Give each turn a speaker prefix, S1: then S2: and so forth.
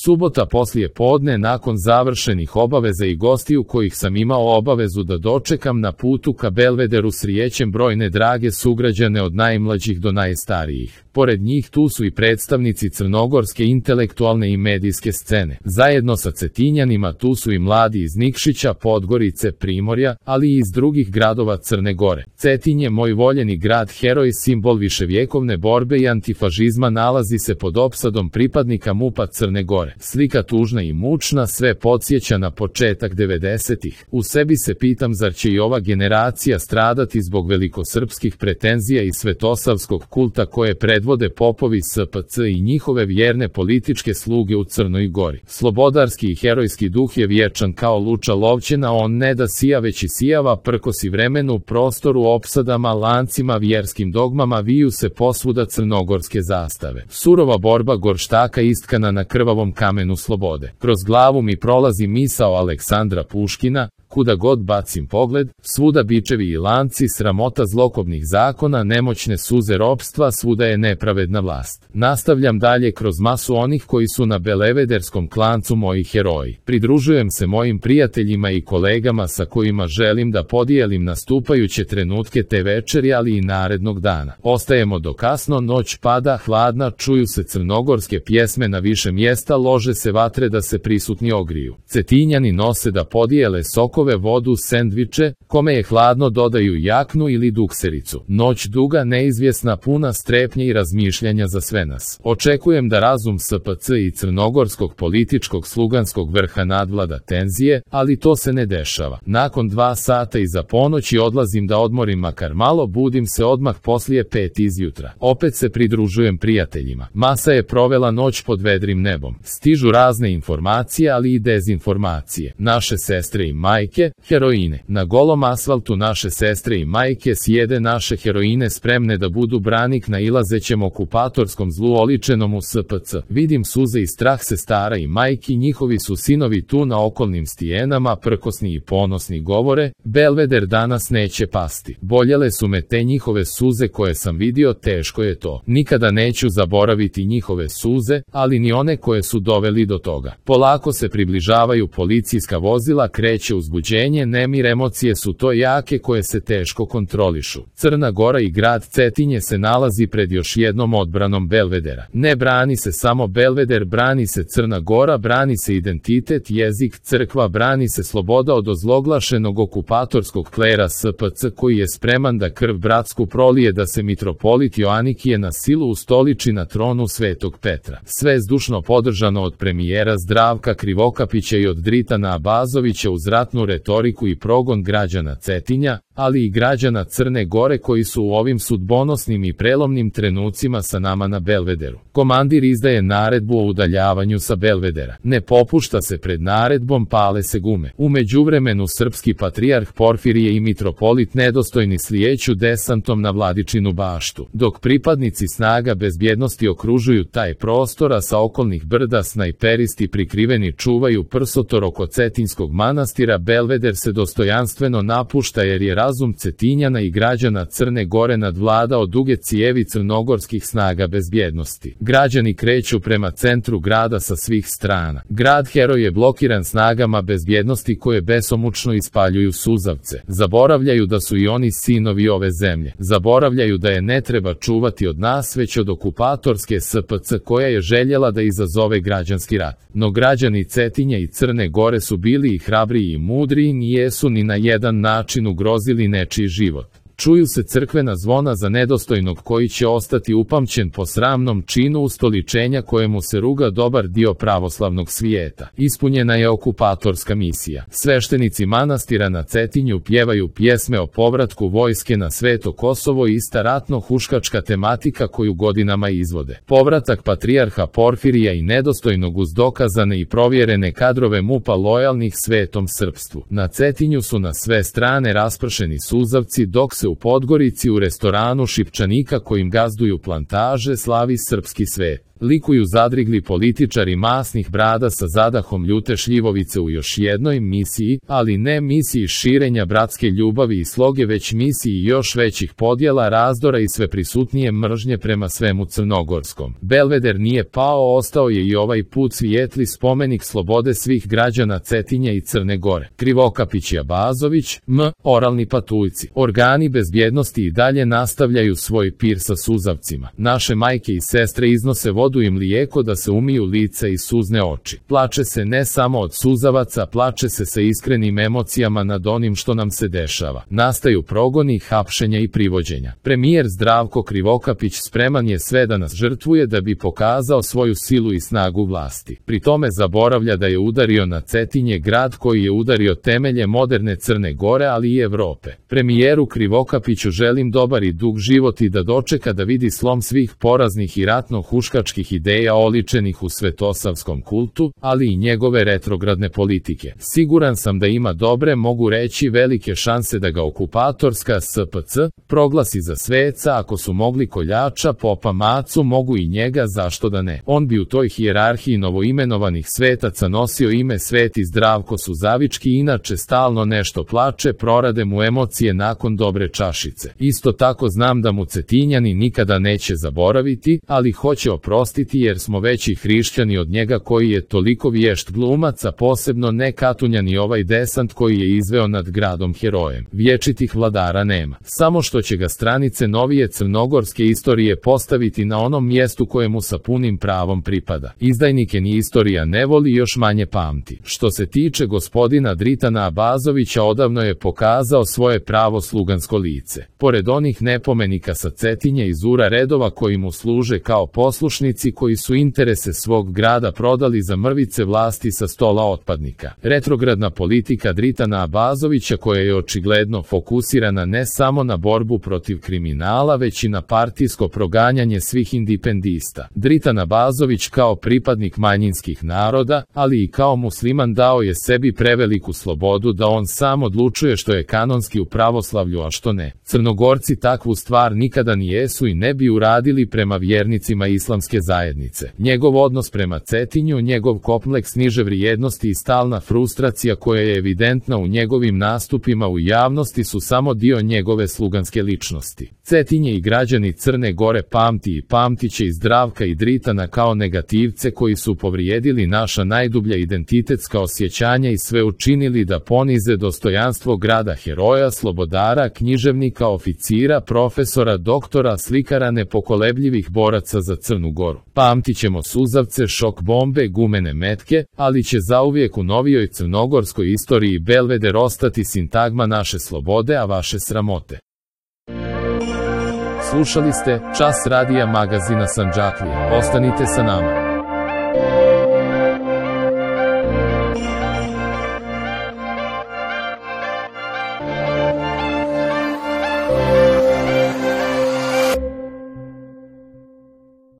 S1: Subota poslije podne nakon završenih obaveza i gostiju kojih sam imao obavezu da dočekam na putu ka Belvederu srijećem brojne drage sugrađane od najmlađih do najstarijih. Pored njih tu su i predstavnici crnogorske intelektualne i medijske scene. Zajedno sa Cetinjanima tu su i mladi iz Nikšića, Podgorice, Primorja, ali i iz drugih gradova Crne Gore. Cetinje, moj voljeni grad, heroj, simbol viševjekovne borbe i antifašizma, nalazi se pod opsadom pripadnika MUP-a Crne Gore. Slika tužna i mučna, sve podsjeća na početak 90-ih. U sebi se pitam, zar će i ova generacija stradati zbog velikosrpskih pretenzija i svetosavskog kulta koje predvode popovi SPC i njihove vjerne političke sluge u Crnoj Gori. Slobodarski i herojski duh je vječan kao luča lovćena, on ne da sija već isijava, prkosi vremenu, prostoru, opsadama, lancima, vjerskim dogmama, viju se posvuda crnogorske zastave. Surova borba gorštaka istkana na krvavom kamenu slobode. Kroz glavu mi prolazi misao Aleksandra Puškina: kuda god bacim pogled, svuda bičevi i lanci, sramota zlokobnih zakona, nemoćne suze ropstva, svuda je nepravedna vlast. Nastavljam dalje kroz masu onih koji su na belevederskom klancu moji heroji. Pridružujem se mojim prijateljima i kolegama sa kojima želim da podijelim nastupajuće trenutke te večeri, ali i narednog dana. Ostajemo do kasno, noć pada, hladna, čuju se crnogorske pjesme na više mjesta, lože se vatre da se prisutni ogriju. Cetinjani nose da podijele sokove, vodu, sendviče, kome je hladno dodaju jaknu ili duksericu. Noć duga, neizvjesna, puna strepnje i razmišljanja za sve nas. Očekujem da razum SPC i crnogorskog političkog sluganskog vrha nadvlada tenzije, ali to se ne dešava. Nakon 2 sata iza ponoći odlazim da odmorim makar malo, budim se odmah poslije 5 izjutra. Opet se pridružujem prijateljima. Masa je provela noć pod vedrim nebom. Stižu razne informacije, ali i dezinformacije. Naše sestre i majke, heroine. Na golom asfaltu naše sestre i majke sjede naše heroine spremne da budu branik nailazećem okupatorskom zlu oličenom u SPC. Vidim suze i strah sestara i majki, njihovi su sinovi tu na okolnim stijenama, prkosni i ponosni govore: Belveder danas neće pasti. Boljele su me te njihove suze koje sam vidio, teško je to. Nikada neću zaboraviti njihove suze, ali ni one koje su doveli do toga. Polako se približavaju policijska vozila, kreće uzbuđenje, nemir, emocije su to jake koje se teško kontrolišu. Crna Gora i grad Cetinje se nalazi pred još jednom odbranom Belvedera. Ne brani se samo Belveder, brani se Crna Gora, brani se identitet, jezik, crkva, brani se sloboda od ozloglašenog okupatorskog klera SPC koji je spreman da krv bratsku prolije da se mitropolit Joanikije na silu ustoliči na tronu Svetog Petra. Sve zdušno podržano od premijera Zdravka Krivokapića i od Dritana Abazovića uz ratnu retoriku i progon građana Cetinja, ali i građana Crne Gore koji su u ovim sudbonosnim i prelomnim trenucima sa nama na Belvederu. Komandir izdaje naredbu o udaljavanju sa Belvedera. Ne popušta se pred naredbom, pale se gume. U međuvremenu srpski patrijarh Porfirije i mitropolit nedostojni slijeću desantom na Vladičinu baštu. Dok pripadnici snaga bezbjednosti okružuju taj prostor, a sa okolnih brda snajperisti prikriveni čuvaju prsotor oko Cetinskog manastira, Belveder se dostojanstveno napušta jer je razum Cetinjana i građana Crne Gore nadvladao duge cijevi crnogorskih snaga bezbjednosti. Građani kreću prema centru grada sa svih strana. Grad heroj je blokiran snagama bezbjednosti koje besomučno ispaljuju suzavce. Zaboravljaju da su i oni sinovi ove zemlje. Zaboravljaju da je ne treba čuvati od nas, već od okupatorske SPC koja je željela da izazove građanski rat. No građani Cetinja i Crne Gore su bili i hrabriji i mudriji, nijesu ni na jedan način ugrozili nečiji život. Čuju se crkvena zvona za nedostojnog koji će ostati upamćen po sramnom činu ustoličenja kojemu se ruga dobar dio pravoslavnog svijeta. Ispunjena je okupatorska misija. Sveštenici manastira na Cetinju pjevaju pjesme o povratku vojske na Sveto Kosovo, ista ratno-huškačka tematika koju godinama izvode. Povratak patrijarha Porfirija i nedostojnog uz dokazane i provjerene kadrove MUP-a lojalnih svetom srpstvu. Na Cetinju su na sve strane raspršeni suzavci, dok se u Podgorici u restoranu Šipčanika kojim gazduju plantaže slavi srpski svet. likuju zadrigli političari masnih brada sa zadahom ljute šljivovice u još jednoj misiji, ali ne misiji širenja bratske ljubavi i sloge, već misiji još većih podjela, razdora i sve prisutnije mržnje prema svemu crnogorskom. Belveder nije pao, ostao je i ovaj put svijetli spomenik slobode svih građana Cetinja i Crne Gore. Krivokapić i Abazović, oralni patuljci. Organi bezbjednosti i dalje nastavljaju svoj pir sa suzavcima. Naše majke i sestre iznose vodu i mlijeko da se umiju lice i suzne oči. Plače se ne samo od suzavaca, plače se sa iskrenim emocijama nad onim što nam se dešava. Nastaju progoni, hapšenja i privođenja. Premijer Zdravko Krivokapić spreman je sve da nas žrtvuje da bi pokazao svoju silu i snagu vlasti. Pri tome zaboravlja da je udario na Cetinje, grad koji je udario temelje moderne Crne Gore, ali i Evrope. Premijeru Krivokapiću želim dobar i dug život i da dočeka da vidi slom svih poraznih i ratno-huškačkih ideja oličenih u svetosavskom kultu, ali i njegove retrogradne politike. Siguran sam da ima dobre, mogu reći velike šanse da ga okupatorska SPC proglasi za sveca. Ako su mogli koljača, popa Macu, mogu i njega, zašto da ne? On bi u toj hijerarhiji novoimenovanih svetaca nosio ime Sveti Zdravko Suzavički, inače stalno nešto plače, prorade mu emocije nakon dobre čašice. Isto tako znam da mu Cetinjani nikada neće zaboraviti, ali hoće oprostiti jer smo veći hrišćani od njega koji je toliko vješt glumac, a posebno ne Katunjan i ovaj desant koji je izveo nad gradom herojem. Vječitih vladara nema, samo što će ga stranice novije crnogorske istorije postaviti na onom mjestu kojemu sa punim pravom pripada. Izdajnike ni istorija ne voli, još manje pamti. Što se tiče gospodina Dritana Abazovića, odavno je pokazao svoje pravo slugansko lice. Pored onih nepomenika sa Cetinja i Zura redova koji mu služe kao poslušnici, koji su interese svog grada prodali za mrvice vlasti sa stola otpadnika. Retrogradna politika Dritana Abazovića, koja je očigledno fokusirana ne samo na borbu protiv kriminala, već i na partijsko proganjanje svih indipendista. Dritan Abazović kao pripadnik manjinskih naroda, ali i kao musliman, dao je sebi preveliku slobodu da on sam odlučuje što je kanonski u pravoslavlju, a što ne. Crnogorci takvu stvar nikada ni jesu i ne bi uradili prema vjernicima islamske zajednice. Njegov odnos prema Cetinju, njegov kompleks niže vrijednosti i stalna frustracija koja je evidentna u njegovim nastupima u javnosti su samo dio njegove sluganske ličnosti. Cetinje i građani Crne Gore pamti i pamtiće i Zdravka i Dritana kao negativce koji su povrijedili naša najdublja identitetska osjećanja i sve učinili da ponize dostojanstvo grada heroja, slobodara, književnika, oficira, profesora, doktora, slikara, nepokolebljivih boraca za Crnu Goru. Pamtićemo suzavce, šok bombe, gumene metke, ali će zauvijek u novijoj crnogorskoj istoriji Belveder ostati sintagma naše slobode, a vaše sramote. Slušali ste Čas radija magazina Sandžaklija. Ostanite sa nama.